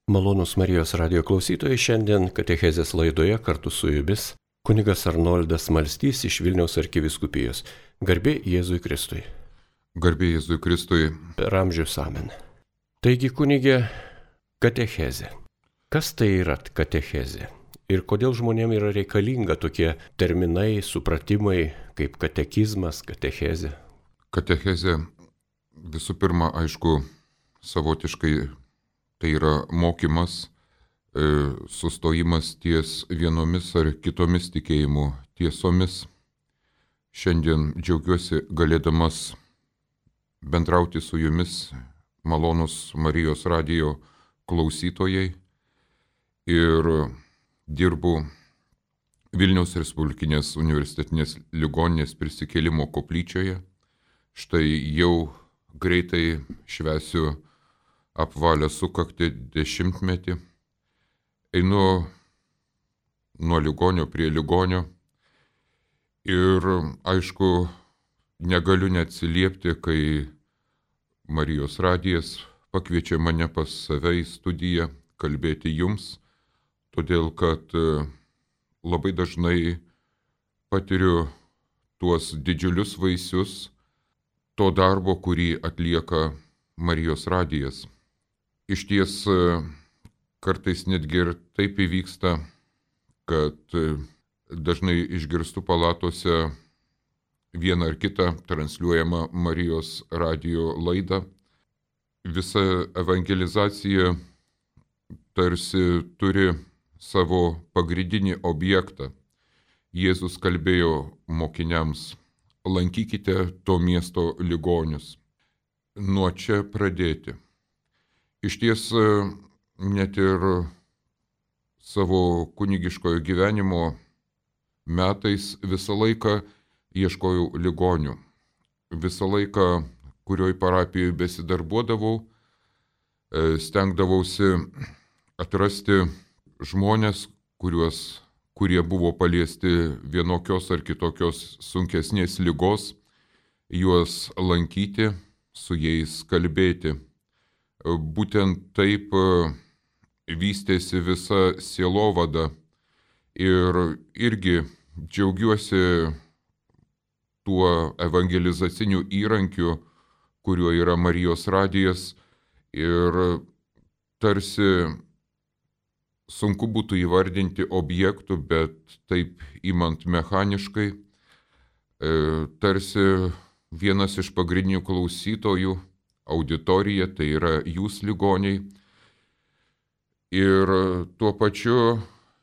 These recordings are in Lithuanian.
Malonūs Marijos radio klausytojai, šiandien katechezės laidoje kartu su jumis kunigas Arnoldas Malstys iš Vilniaus arkivyskupijos. Garbė Jėzui Kristui. Garbė Jėzui Kristui. Per amžius amen. Taigi, kunigė, katechezė. Kas tai yra katechezė? Ir kodėl žmonėms yra reikalinga tokie terminai, supratimai kaip katekizmas, katechezė? Katechezė visų pirma, aišku, savotiškai tai yra mokymas, sustojimas ties vienomis ar kitomis tikėjimų tiesomis. Šiandien džiaugiuosi galėdamas bendrauti su jumis, malonūs Marijos radijo klausytojai, ir dirbu Vilniaus Respublikinės universitetinės ligoninės Prisikėlimo koplyčioje. Štai jau greitai švęsiu apvalę sukaktį 10-metį. Einu nuo ligonio prie ligonio ir, aišku, negaliu neatsiliepti, kai Marijos radijas pakviečia mane pas save į studiją kalbėti jums, todėl kad labai dažnai patiriu tuos didžiulius vaisius to darbo, kurį atlieka Marijos radijas. Išties kartais netgi ir taip įvyksta, kad dažnai išgirstu palatose vieną ar kitą transliuojamą Marijos radijo laidą. Visa evangelizacija tarsi turi savo pagrindinį objektą. Jėzus kalbėjo mokiniams: lankykite to miesto ligonius. Nuo čia pradėti. Išties net ir savo kunigiškojo gyvenimo metais visą laiką ieškojau ligonių. Visą laiką, kurioj parapijoje besidarbuodavau, stengdavausi atrasti žmonės, kurie buvo paliesti vienokios ar kitokios sunkesnės ligos, juos lankyti, su jais kalbėti. Būtent taip vystėsi visa sielovada ir irgi džiaugiuosi tuo evangelizaciniu įrankiu, kuriuo yra Marijos radijas, ir tarsi sunku būtų įvardinti objektų, bet taip imant mechaniškai, tarsi vienas iš pagrindinių klausytojų, auditorija, tai yra jūs ligoniai, ir tuo pačiu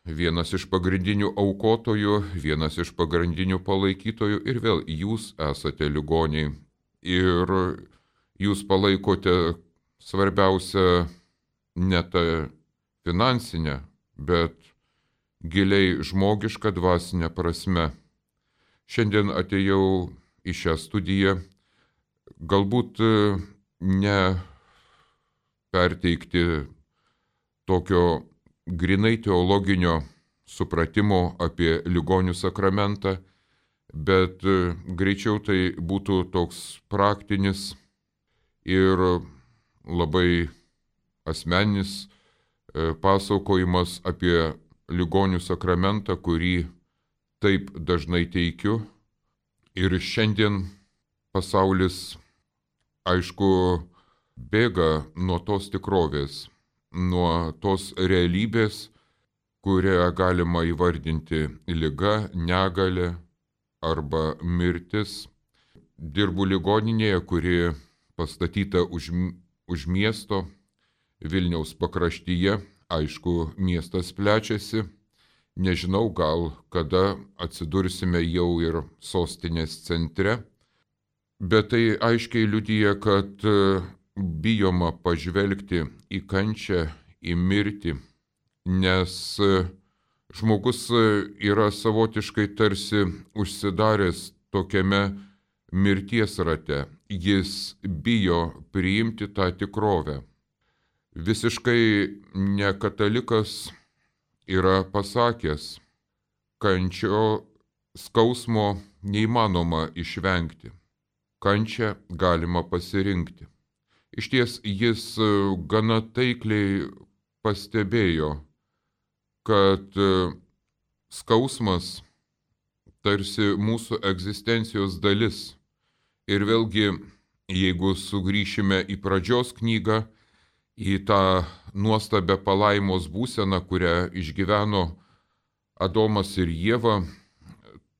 vienas iš pagrindinių aukotojų, vienas iš pagrindinių palaikytojų, ir vėl jūs esate ligoniai. Ir jūs palaikote svarbiausia ne tą finansinę, bet giliai žmogišką dvasinę prasme. Šiandien atėjau į šią studiją galbūt ne perteikti tokio grinai teologinio supratimo apie ligonių sakramentą, bet greičiau tai būtų toks praktinis ir labai asmeninis pasakojimas apie ligonių sakramentą, kurį taip dažnai teikiu. Ir šiandien pasaulis, aišku, bėga nuo tos tikrovės, nuo tos realybės, kurią galima įvardinti liga, negalia arba mirtis. Dirbu ligoninėje, kuri pastatyta už miesto, Vilniaus pakraštyje. Aišku, miestas plečiasi. Nežinau, gal kada atsidursime jau ir sostinės centre, bet tai aiškiai liudija, kad bijoma pažvelgti į kančią, į mirtį, nes žmogus yra savotiškai tarsi užsidaręs tokiame mirties rate. Jis bijo priimti tą tikrovę. Visiškai nekatalikas yra pasakęs: kančio skausmo neįmanoma išvengti, kančią galima pasirinkti. Išties jis gana taikliai pastebėjo, kad skausmas tarsi mūsų egzistencijos dalis. Ir vėlgi, jeigu sugrįšime į pradžios knygą, į tą nuostabę palaimos būseną, kurią išgyveno Adomas ir Ieva,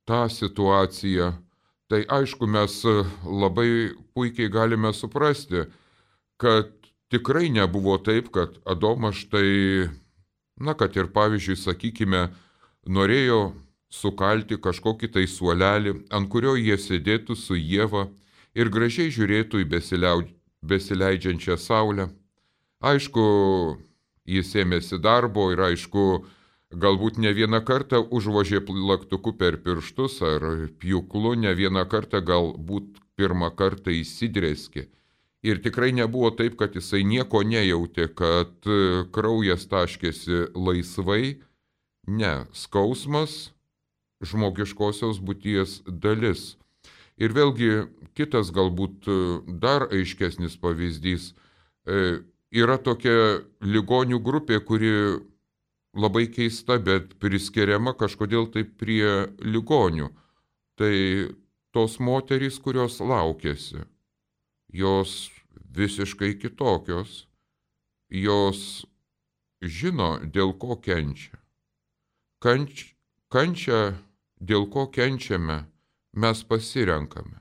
tą situaciją, tai aišku, mes labai puikiai galime suprasti, kad tikrai nebuvo taip, kad Adomas štai, kad ir pavyzdžiui, sakykime, norėjo sukalti kažkokį tai suolelį, ant kurio jie sėdėtų su Ieva ir gražiai žiūrėtų į besileidžiančią saulę. Aišku, jis ėmėsi darbo ir aišku, galbūt ne vieną kartą užvožė plaktuku per pirštus ar pjūklu, ne vieną kartą galbūt pirmą kartą įsidrėskė. Ir tikrai nebuvo taip, kad jisai nieko nejautė, kad kraujas taškėsi laisvai. Ne, skausmas žmogiškosios būties dalis. Ir vėlgi kitas galbūt dar aiškesnis pavyzdys. Yra tokia ligonių grupė, kuri labai keista, bet priskiriama kažkodėl taip prie ligonių. Tai tos moterys, kurios laukėsi, jos visiškai kitokios, jos žino, dėl ko kenčia. Kančia, dėl ko kenčiame, mes pasirenkame.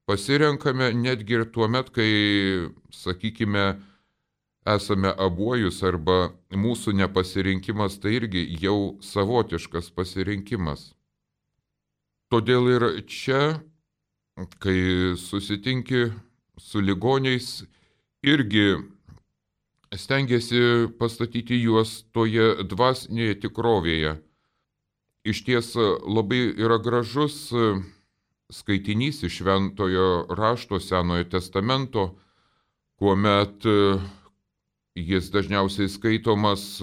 Pasirenkame netgi ir tuo met, kai, sakykime, esame abuojus arba mūsų nepasirinkimas, tai irgi jau savotiškas pasirinkimas. Todėl ir čia, kai susitinki su ligoniais, irgi stengiasi pastatyti juos toje dvasinėje tikrovėje. Iš ties labai yra gražus skaitinys iš Šventojo rašto Senojo testamento, kuomet jis dažniausiai skaitomas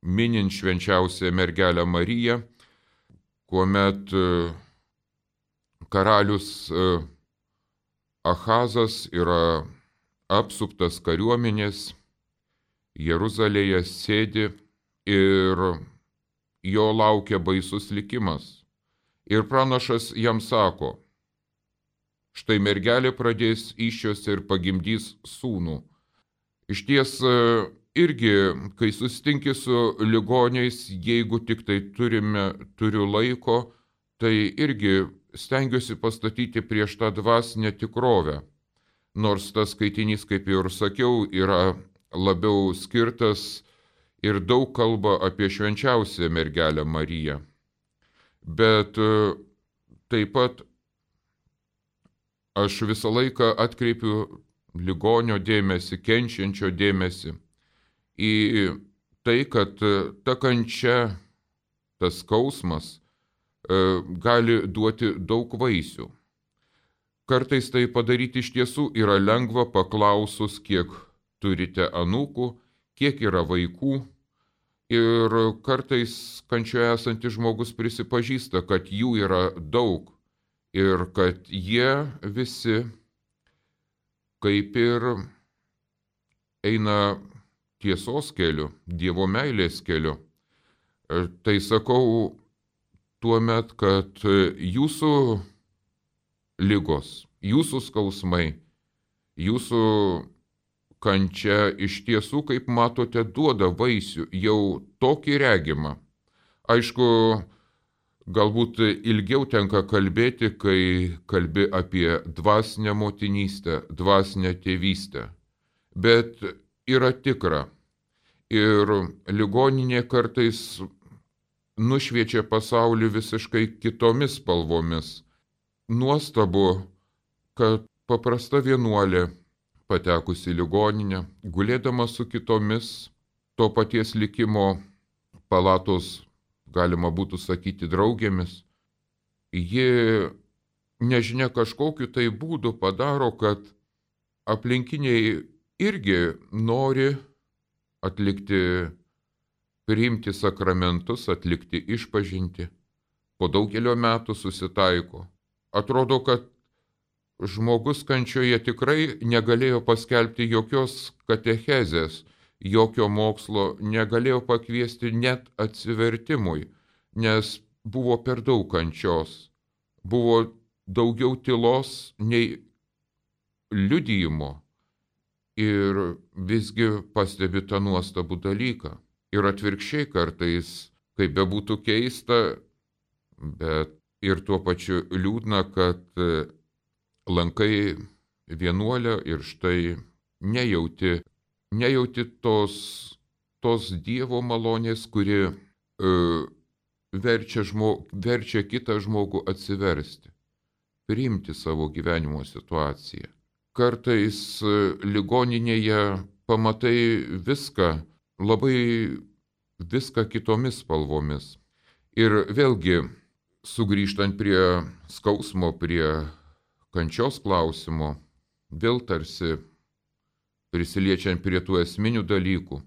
minint švenčiausią mergelę Mariją, kuomet karalius Ahazas yra apsuptas kariuomenės, Jeruzalėje sėdi ir jo laukia baisus likimas. Ir pranašas jam sako, štai mergelė pradės įsčiose ir pagimdys sūnų. Iš ties irgi, kai susitinki su ligoniais, jeigu tik tai turiu laiko, tai irgi stengiuosi pastatyti prieš tą dvasinę tikrovę. Nors tas skaitinys, kaip jau ir sakiau, yra labiau skirtas ir daug kalba apie švenčiausią mergelę Mariją. Bet taip pat aš visą laiką atkreipiu ligonio dėmesį, kenčiančio dėmesį į tai, kad ta kančia, tas skausmas gali duoti daug vaisių. Kartais tai padaryti iš tiesų yra lengva paklausus, kiek turite anūkų, kiek yra vaikų. Ir kartais kančioje esantis žmogus prisipažįsta, kad jų yra daug ir kad jie visi kaip ir eina tiesos keliu, Dievo meilės keliu. Tai sakau tuomet, kad jūsų ligos, jūsų skausmai, jūsų kančia iš tiesų, kaip matote, duoda vaisių, jau tokį regimą. Aišku, galbūt ilgiau tenka kalbėti, kai kalbi apie dvasinę motinystę, dvasinę tėvystę. Bet yra tikra. Ir ligoninė kartais nušviečia pasaulį visiškai kitomis spalvomis. Nuostabu, kad paprasta vienuolė, patekusi į ligoninę, gulėdama su kitomis to paties likimo palatos, galima būtų sakyti, draugėmis, ji nežinia kažkokiu tai būdu padaro, kad aplinkiniai irgi nori atlikti, priimti sakramentus, atlikti išpažintį. Po daugelio metų susitaiko. Atrodo, kad žmogus kančioje tikrai negalėjo paskelbti jokios katechezės, jokio mokslo negalėjo pakviesti net atsivertimui, nes buvo per daug kančios, buvo daugiau tylos nei liudijimo. Ir visgi pastebi tą nuostabų dalyką. Ir atvirkščiai kartais, kaip bebūtų keista, bet ir tuo pačiu liūdna, kad lankai vienuolę ir štai nejauti tos Dievo malonės, kuri verčia kitą žmogų atsiversti, priimti savo gyvenimo situaciją. Kartais ligoninėje pamatai labai viską kitomis spalvomis. Ir vėlgi, sugrįžtant prie skausmo, prie kančios klausimo, vėl tarsi prisiliečiant prie tų esminių dalykų,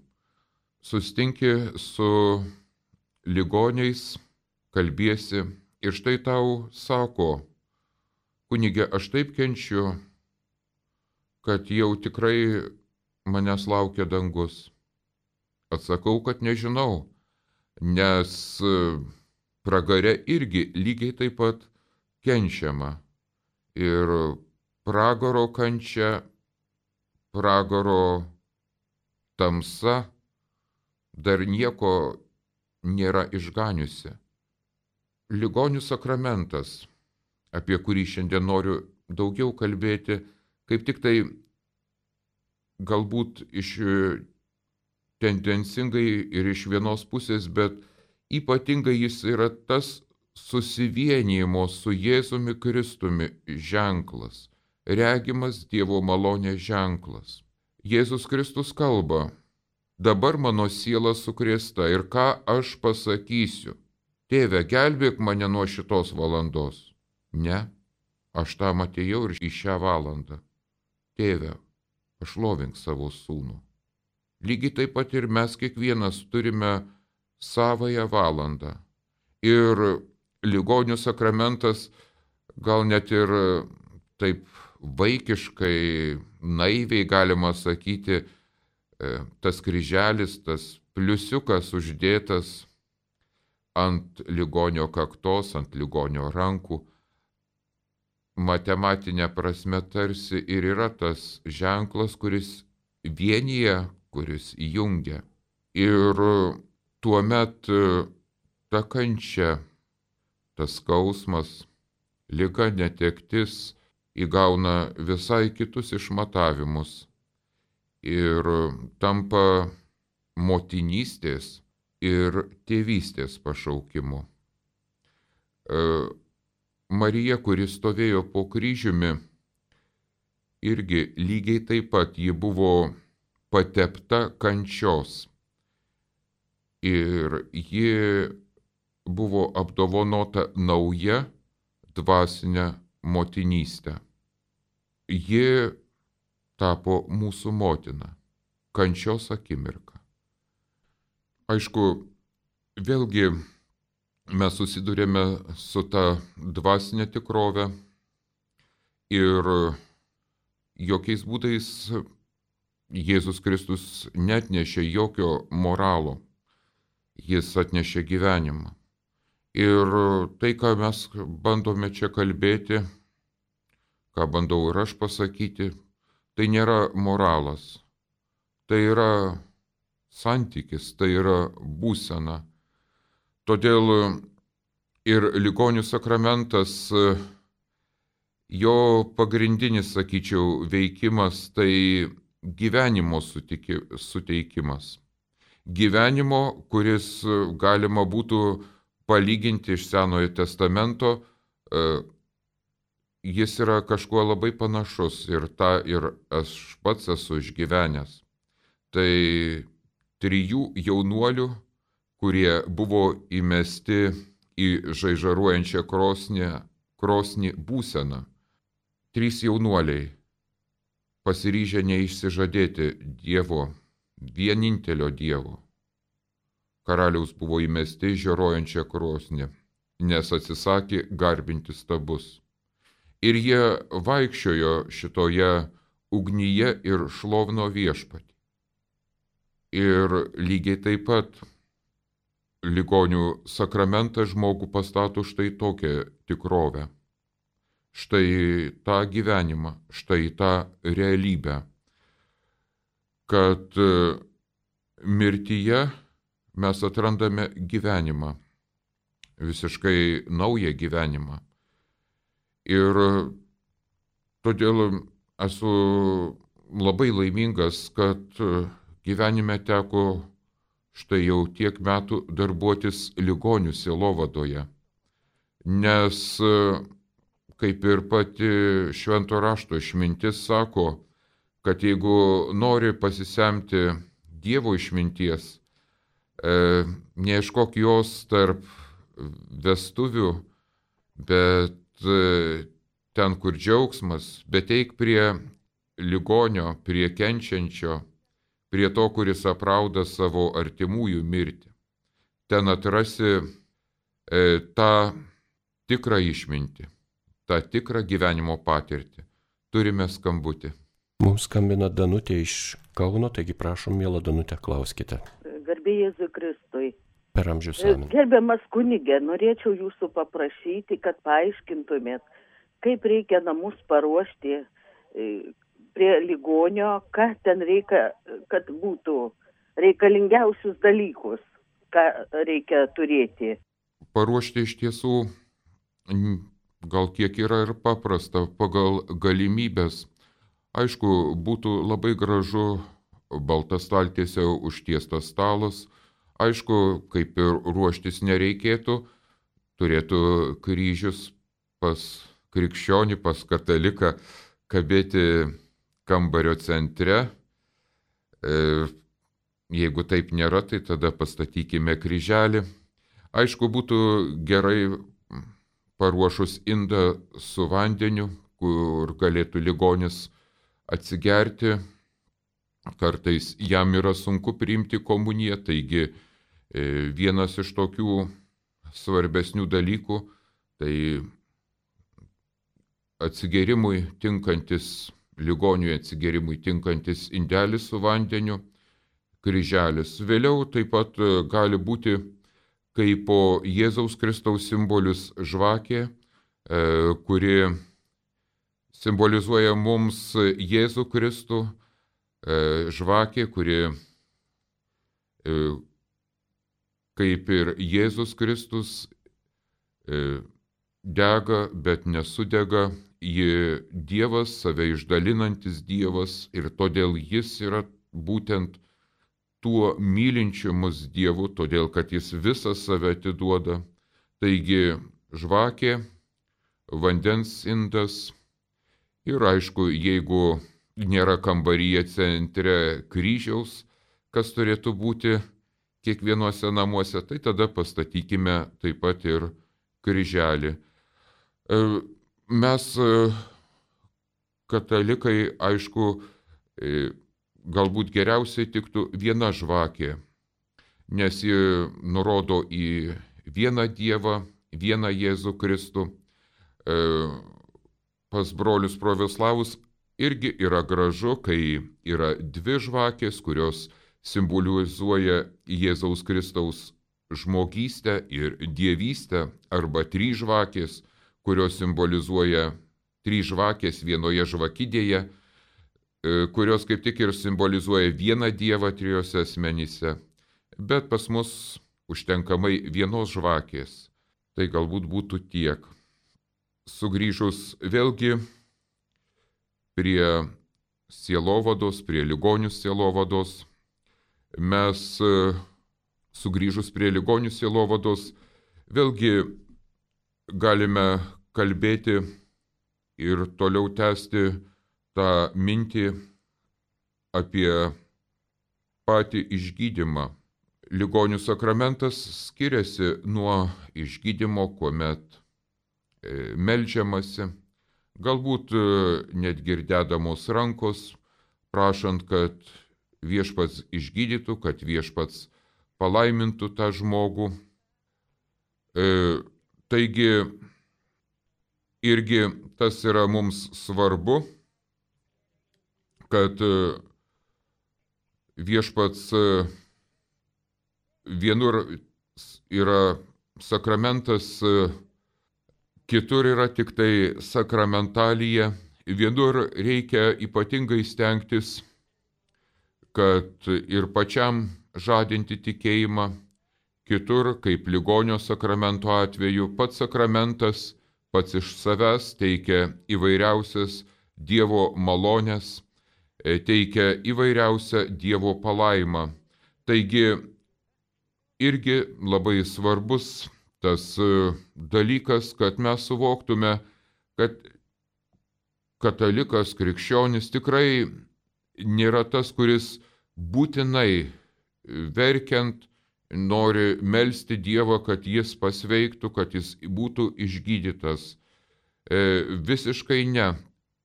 sustinki su ligoniais, kalbiesi ir štai tau sako: kunige, aš taip kenčiu, kad jau tikrai manęs laukia dangus. Atsakau, kad nežinau, nes pragare irgi lygiai taip pat kenčiama. Ir pragaro kančia, pragaro tamsa dar nieko nėra išganiusi. Ligonių sakramentas, apie kurį šiandien noriu daugiau kalbėti, kaip tik tai galbūt tendencingai ir iš vienos pusės, bet ypatingai jis yra tas susivienijimo su Jėzumi Kristumi ženklas, regimas Dievo malonės ženklas. Jėzus Kristus kalba: dabar mano siela sukrėsta ir ką aš pasakysiu? Tėve, gelbėk mane nuo šitos valandos. Ne, aš tam atėjau ir į šią valandą. Tėve, pašlovink savo sūnų. Lygiai taip pat ir mes kiekvienas turime savąją valandą. Ir ligonių sakramentas gal net ir taip vaikiškai, naiviai galima sakyti, tas kryželis, tas pliusiukas uždėtas ant ligonio kaktos, ant ligonio rankų, matematinė prasme tarsi ir yra tas ženklas, kuris vienyje, kuris jungia. Ir tuomet ta kančia, tas skausmas, liga, netektis įgauna visai kitus išmatavimus ir tampa motinystės ir tėvystės pašaukimu. Marija, kuri stovėjo po kryžiumi, irgi lygiai taip pat ji buvo patepta kančios ir ji buvo apdovanota nauja dvasinė motinystė. Ji tapo mūsų motina, kančios akimirka. Aišku, vėlgi mes susidurėme su ta dvasinė tikrove ir jokiais būdais Jėzus Kristus neatnešė jokio moralo, jis atnešė gyvenimą. Ir tai, ką mes bandome čia kalbėti, ką bandau ir aš pasakyti, tai nėra moralas, tai yra santykis, tai yra būsena. Todėl ir ligonių sakramentas, jo pagrindinis, sakyčiau, veikimas tai gyvenimo suteikimas. Gyvenimo, kuris galima būtų palyginti iš Senojo testamento, jis yra kažkuo labai panašus ir tą ir aš pats esu išgyvenęs. Tai 3 jaunuolių, kurie buvo įmesti į žaižaruojančią krosnį būseną. 3 jaunuoliai pasiryžę neišsižadėti Dievo, vienintelio Dievo. Karaliaus buvo įmesti į žarojančią krosnį, nes atsisakė garbinti stabus. Ir jie vaikščiojo šitoje ugnyje ir šlovino viešpatį. Ir lygiai taip pat ligonių sakramentas žmogų pastato štai tokią tikrovę, štai tą gyvenimą, štai tą realybę, kad mirtyje mes atrandame gyvenimą, visiškai naują gyvenimą. Ir todėl esu labai laimingas, kad gyvenime teko štai jau tiek metų darbuotis ligonių sielovadoje, nes kaip ir pati švento rašto išmintis sako, kad jeigu nori pasisemti Dievo išminties, neieškok jos tarp vestuvių, bet ten, kur džiaugsmas, bet eik prie ligonio, prie kenčiančio, prie to, kuris aprauda savo artimųjų mirtį. Ten atrasi tą tikrą išmintį, tą tikrą gyvenimo patirtį. Turime skambutį. Mums skambina Danutė iš Kauno, taigi prašom, miela Danutė, klauskite. Garbė Jėzui Kristui. Per amžius amen. Gerbiamas kunigė, norėčiau jūsų paprašyti, kad paaiškintumėt, kaip reikia namus paruošti prie ligonio, ką ten reikia, kad būtų reikalingiausius dalykus, ką reikia turėti. Paruošti iš tiesų gal kiek yra ir paprasta pagal galimybės. Aišku, būtų labai gražu balta staltiesė užtiestas stalas. Aišku, kaip ir ruoštis nereikėtų, turėtų kryžius pas krikščionį, pas kataliką kabėti kambario centre. Jeigu taip nėra, tai tada pastatykime kryželį. Aišku, būtų gerai paruošus indą su vandeniu, kur galėtų ligonis atsigerti. Kartais jam yra sunku priimti komuniją, taigi vienas iš tokių svarbesnių dalykų tai atsigerimui tinkantis, ligoniui atsigerimui tinkantis indelis su vandeniu, kryželis. Vėliau taip pat gali būti kaip po Jėzaus Kristaus simbolius žvakė, kuri simbolizuoja mums Jėzų Kristų, žvakė, kuri kaip ir Jėzus Kristus dega, bet nesudega, ji Dievas, save išdalinantis Dievas, ir todėl jis yra būtent tuo mylinčiu mus Dievu, todėl kad jis visą save atiduoda. Taigi žvakė, vandens indas ir aišku, jeigu nėra kambaryje centre kryžiaus, kas turėtų būti kiekvienuose namuose, tai tada pastatykime taip pat ir kryželį. Mes, katalikai, aišku, galbūt geriausiai tiktų viena žvakė, nes ji nurodo į vieną Dievą, vieną Jėzų Kristų. Pas brolius pravoslavus irgi yra gražu, kai yra dvi žvakės, kurios simbolizuoja Jėzaus Kristaus žmogystę ir dievystę, arba trys žvakės, kurios simbolizuoja trys žvakės vienoje žvakidėje, kurios kaip tik ir simbolizuoja vieną Dievą trijose asmenyse. Bet pas mus užtenkamai vienos žvakės. Tai galbūt būtų tiek. Sugrįžus vėlgi prie sielovados, prie ligonių sielovados, mes sugrįžus prie ligonių sielovados vėlgi galime kalbėti ir toliau tęsti tą mintį apie patį išgydymą. Ligonių sakramentas skiriasi nuo išgydymo, kuomet meldžiamasi, galbūt net girdėdamos rankos, prašant, kad viešpats išgydytų, kad viešpats palaimintų tą žmogų. Taigi irgi tas yra mums svarbu, kad viešpats vienur yra sakramentas, kitur yra tik tai sakramentalija, vienur reikia ypatingai stengtis, kad ir pačiam žadinti tikėjimą, kitur, kaip ligonio sakramento atveju, pats sakramentas pats iš savęs teikia įvairiausias Dievo malonės, teikia įvairiausią Dievo palaimą. Taigi irgi labai svarbus tas dalykas, kad mes suvoktume, kad katalikas, krikščionis tikrai nėra tas, kuris būtinai verkiant nori melsti Dievą, kad jis pasveiktų, kad jis būtų išgydytas. Visiškai ne.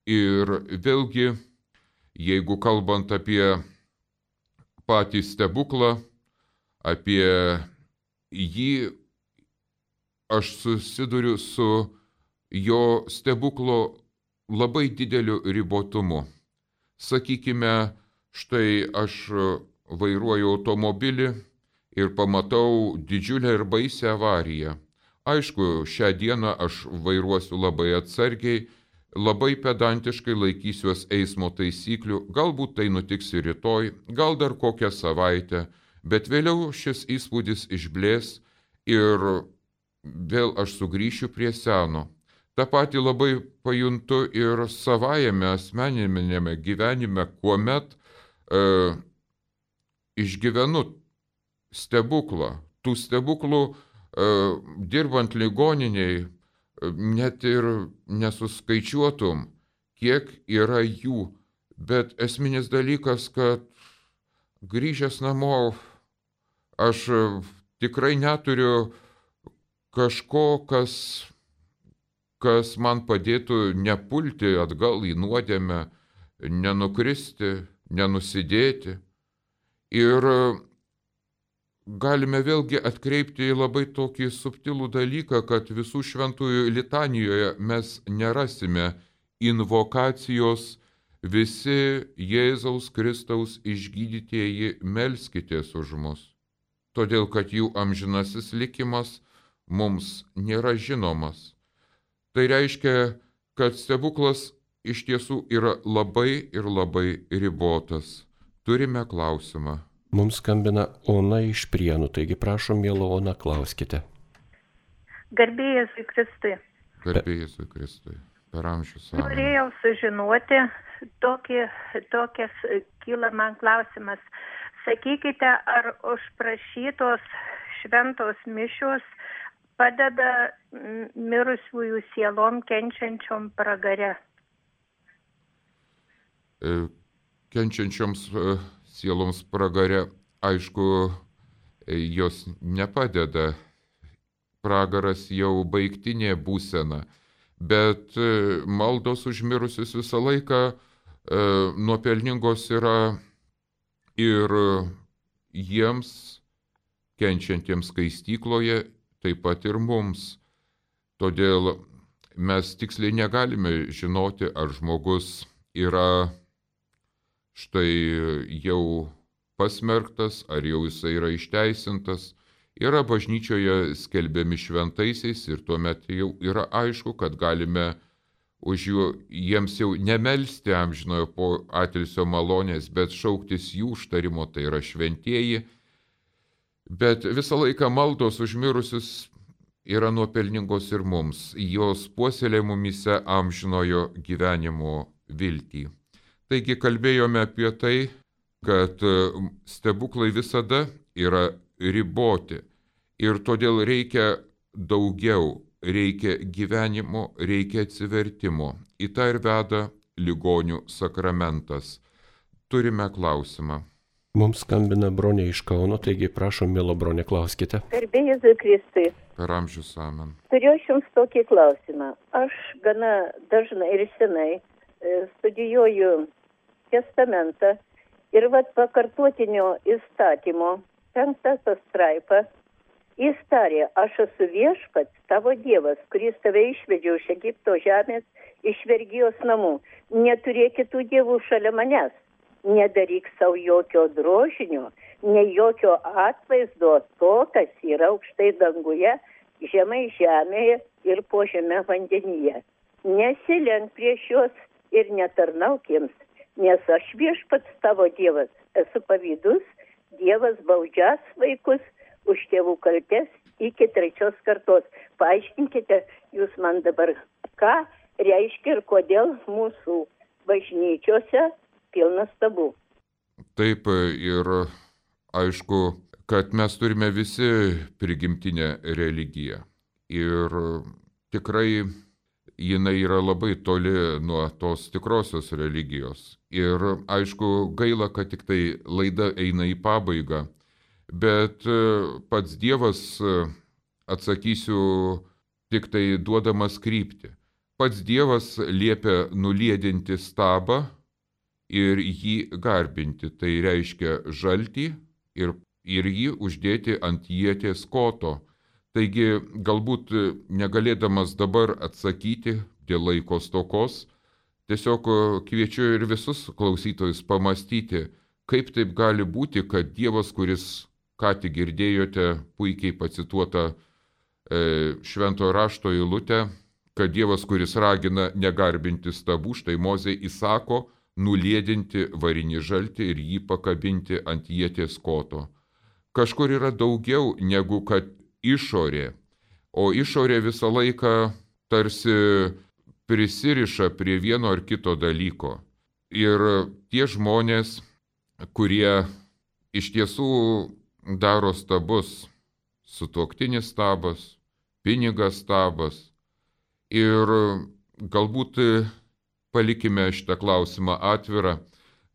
Ir vėlgi, jeigu kalbant apie patį stebuklą, apie jį, aš susiduriu su jo stebuklo labai dideliu ribotumu. Sakykime, štai aš vairuoju automobilį ir pamatau didžiulę ir baisią avariją. Aišku, šią dieną aš vairuosiu labai atsargiai, labai pedantiškai laikysiuos eismo taisyklių, galbūt tai nutiks ir rytoj, gal dar kokią savaitę, bet vėliau šis įspūdis išblės ir vėl aš sugrįšiu prie seno. Ta pati labai pajuntu ir savajame asmeninėme gyvenime, kuomet išgyvenu stebuklą. Tų stebuklų dirbant ligoniniai net ir nesuskaičiuotum, kiek yra jų, bet esminis dalykas, kad grįžęs namo aš tikrai neturiu kažko, kas man padėtų nepulti atgal į nuodėmę, nenukristi, nenusidėti. Ir galime vėlgi atkreipti į labai tokį subtilų dalyką, kad visų šventųjų litanijoje mes nerasime invokacijos visi Jėzaus Kristaus išgydytieji melskitės už mus, todėl kad jų amžinasis likimas mums nėra žinomas. Tai reiškia, kad stebuklas iš tiesų yra labai ir labai ribotas. Turime klausimą. Mums skambina Ona iš Prienų, taigi prašom, miela Ona, klauskite. Garbė Jėzui Kristui. Garbė Jėzui Kristui. Per amžius. Norėjau sužinoti, tokias kyla man klausimas. Sakykite, ar užprašytos šventos mišios padeda mirusiųjų sielom kenčiančiom pragare? Kenčiančioms sieloms pragare, aišku, jos nepadeda. Pragaras jau baigtinė būsena, bet maldos už mirusius visą laiką nuopelningos yra ir jiems kenčiantiems skaistykloje, taip pat ir mums. Todėl mes tiksliai negalime žinoti, ar žmogus yra štai jau pasmerktas, ar jau jisai yra išteisintas. Yra bažnyčioje skelbiami šventaisiais ir tuomet jau yra aišku, kad galime už jiems jau nemelsti amžinojo po atilsio malonės, bet šauktis jų užtarimo, tai yra šventieji. Bet visą laiką maldos už mirusius yra nuopelningos ir mums, jos puoselėja mumyse amžinojo gyvenimo viltį. Taigi kalbėjome apie tai, kad stebuklai visada yra riboti ir todėl reikia daugiau, reikia gyvenimo, reikia atsivertimo. Į tą ir veda ligonių sakramentas. Turime klausimą. Mums skambina Bronė iš Kauno, taigi prašom, miela Bronė, klauskite. Garbė Jėzui Kristui. Per amžius amen. Turiu aš jums tokį klausimą. Aš gana dažnai ir senai studijuoju testamentą ir pakartotinio įstatymo 5 pastraipa jis tarė, aš esu viešpats tavo Dievas, kuris tave išvedė iš Egipto žemės, iš vergijos namų. Neturėk kitų dievų šalia manęs. nedaryk savo jokio drožinio, ne jokio atvaizdo to, kas yra aukštai danguje, žemai žemėje ir po žeme vandenyje. Nesilenk prieš juos ir netarnauk jiems, nes aš viešpats tavo Dievas, esu pavydus, Dievas baudžias vaikus už tėvų kaltes iki 3 kartos. Paaiškinkite jūs man dabar, ką reiškia ir kodėl mūsų bažnyčiose pilna stabų. Taip, ir aišku, kad mes turime visi prigimtinę religiją. Ir tikrai jinai yra labai toli nuo tos tikrosios religijos. Ir aišku, gaila, kad tik tai laida eina į pabaigą. Bet pats Dievas, atsakysiu, tik tai duodamas kryptį. Pats Dievas liepia nuliedinti stabą ir jį garbinti. Tai reiškia žaltį ir jį uždėti ant ieties koto. Taigi, galbūt negalėdamas dabar atsakyti dėl laiko stokos, tiesiog kviečiu ir visus klausytojus pamastyti, kaip taip gali būti, kad Dievas, kuris, ką tik girdėjote, puikiai pacituota šventojo rašto eilutė, kad Dievas, kuris ragina negarbinti stabų, štai Mozė įsako nuliedinti varinį žaltį ir jį pakabinti ant ieties koto. Kažkur yra daugiau negu kad išorė, o išorė visą laiką tarsi prisiriša prie vieno ar kito dalyko. Ir tie žmonės, kurie iš tiesų daro stabus, sutuoktinis stabas, pinigas stabas, ir galbūt palikime šitą klausimą atvirą,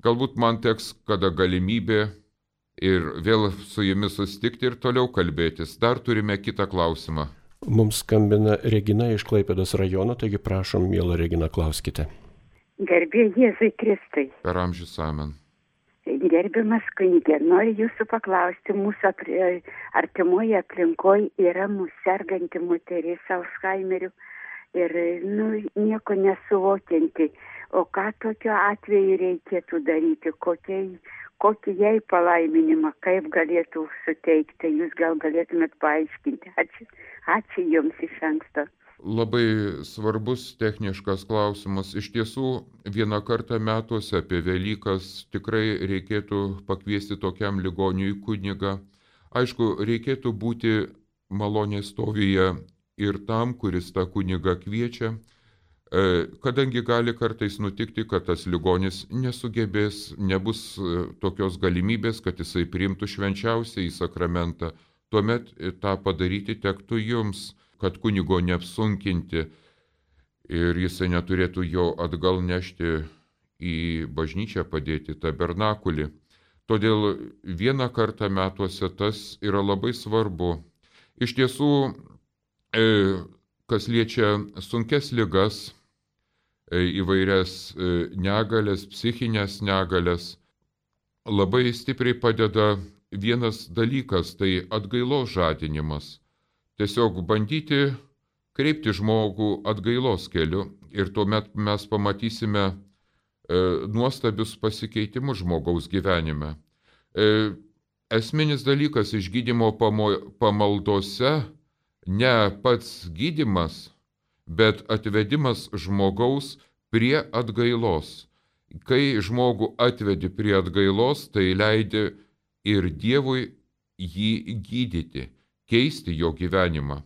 galbūt man teks kada galimybė ir vėl su jumis susitikti ir toliau kalbėtis. Dar turime kitą klausimą. Mums skambina Regina iš Klaipėdos rajono, taigi prašom, miela Regina, klauskite. Garbė Jėzui Kristui. Per amžius amen. Gerbiamas kunige, noriu jūsų paklausti, mūsų artimoje aplinkoje yra mūsų serganti moteris Alzheimeriu ir nieko nesuvokianti. O ką tokiu atveju reikėtų daryti, kokį jai palaiminimą, kaip galėtų suteikti, jūs gal galėtumėt paaiškinti. Ačiū jums iš anksto. Labai svarbus techniškas klausimas. Iš tiesų, vieną kartą metuose apie Velykas tikrai reikėtų pakviesti tokiam ligoniui kunigą. Aišku, reikėtų būti malonės stovyje ir tam, kuris tą kunigą kviečia, kadangi gali kartais nutikti, kad tas ligonis nesugebės, nebus tokios galimybės, kad jisai priimtų švenčiausiąjį sakramentą. Tuomet tą padaryti tektų jums, kad kunigo neapsunkinti ir jisai neturėtų jo atgal nešti į bažnyčią, padėti tabernakulį. Todėl vieną kartą metuose tas yra labai svarbu. Iš tiesų, kas liečia sunkes ligas, įvairias negalės, psichinės negalės, labai stipriai padeda vienas dalykas, tai atgailos žadinimas. Tiesiog bandyti kreipti žmogų atgailos keliu ir tuomet mes pamatysime nuostabius pasikeitimus žmogaus gyvenime. Esminis dalykas išgydymo pamaldose ne pats gydymas, bet atvedimas žmogaus prie atgailos. Kai žmogų atvedi prie atgailos, tai leidi ir Dievui jį gydyti, keisti jo gyvenimą.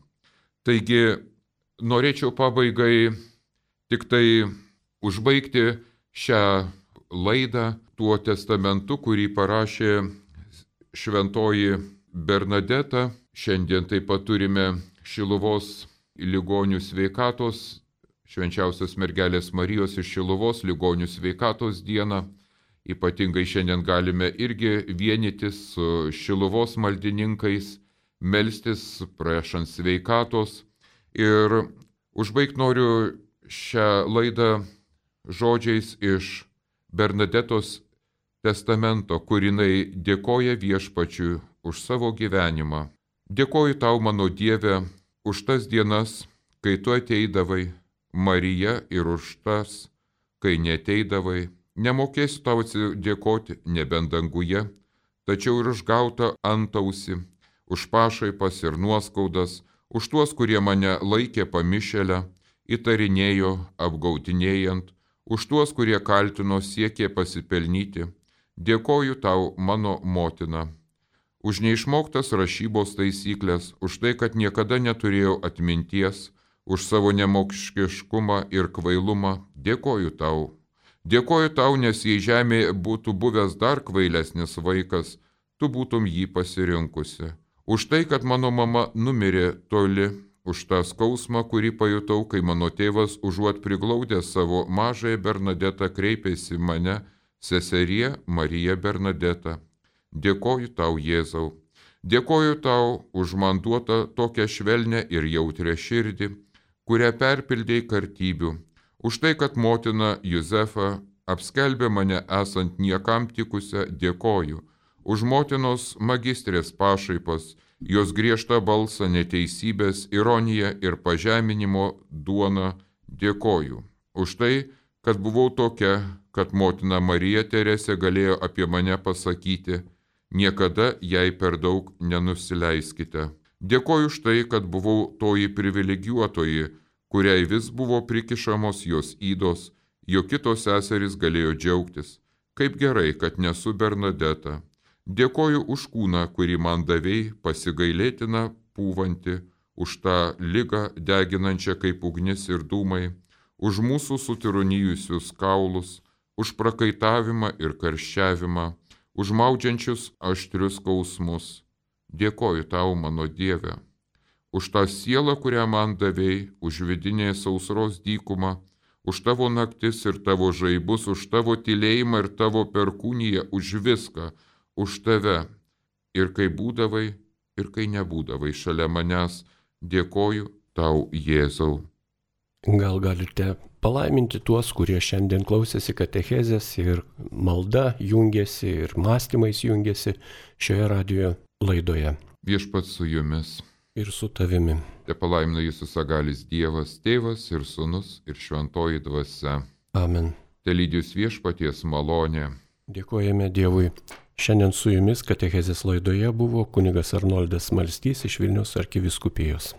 Taigi, norėčiau pabaigai tik tai užbaigti šią laidą tuo testamentu, kurį parašė šventoji Bernadeta. Šiandien taip pat turime Šiluvos ligonių sveikatos, švenčiausios mergelės Marijos iš Šiluvos ligonių sveikatos dieną. Ypatingai šiandien galime irgi vienytis su Šiluvos maldininkais, melstis, prašant sveikatos. Ir užbaigti noriu šią laidą žodžiais iš Bernadetos testamento, kur jinai dėkoja Viešpačiui už savo gyvenimą. Dėkoju tau, mano Dieve, už tas dienas, kai tu ateidavai, Marija, ir už tas, kai neteidavai, Nemokėsiu tau atsidėkoti, nebent danguje, tačiau ir už gautą antausi, už pašaipas ir nuoskaudas, už tuos, kurie mane laikė pamišėlę, įtarinėjo, apgautinėjant, už tuos, kurie kaltino, siekė pasipelnyti. Dėkoju tau, mano motina, už neišmoktas rašybos taisyklės, už tai, kad niekada neturėjau atminties, už savo nemokšiškumą ir kvailumą. Dėkoju tau. Dėkoju tau, nes jei žemėje būtų buvęs dar kvailesnis vaikas, tu būtum jį pasirinkusi. Už tai, kad mano mama numirė toli, už tą skausmą, kurį pajutau, kai mano tėvas užuot priglaudęs savo mažąją Bernadetą kreipėsi mane, seserie Marija Bernadeta. Dėkoju tau, Jėzau. Dėkoju tau už man duotą tokią švelnę ir jautrią širdį, kurią perpildėjai kartybių, už tai, kad motina Juzefa apskelbė mane esant niekam tikusią. Dėkoju. Už motinos magistrės pašaipas, jos griežtą balsą, neteisybės, ironiją ir pažeminimo duoną. Dėkoju. Už tai, kad buvau tokia, kad motina Marija Teresė galėjo apie mane pasakyti: niekada jai per daug nenusileiskite. Dėkoju už tai, kad buvau toji privilegijuotoji, kuriai vis buvo prikišamos jos ydos, jo kitos seserys galėjo džiaugtis. Kaip gerai, kad nesu Bernadeta. Dėkoju už kūną, kurį man davei, pasigailėtina pūvanti, už tą ligą deginančią kaip ugnis ir dūmai, už mūsų sutironijusius kaulus, už prakaitavimą ir karščiavimą, už maudžiančius aštrius skausmus. Dėkoju tau, mano Dieve, už tą sielą, kurią man davei, už vidinės sausros dykumą, už tavo naktis ir tavo žaibus, už tavo tylėjimą ir tavo perkūniją, už viską, už tave. Ir kai būdavai, ir kai nebūdavai šalia manęs, dėkoju tau, Jėzau. Gal galite palaiminti tuos, kurie šiandien klausėsi katechezės ir malda jungiasi ir mąstymais jungiasi šioje radijo laidoje. Viešpats su jumis. Ir su tavimi. Te palaimina jūsų sagalis Dievas, Tėvas ir Sūnus ir Šventoji Dvasia. Amen. Te lydys viešpaties malonė. Dėkojame Dievui. Šiandien su jumis katechezės laidoje buvo kunigas Arnoldas Smalstys iš Vilniaus arkivyskupijos.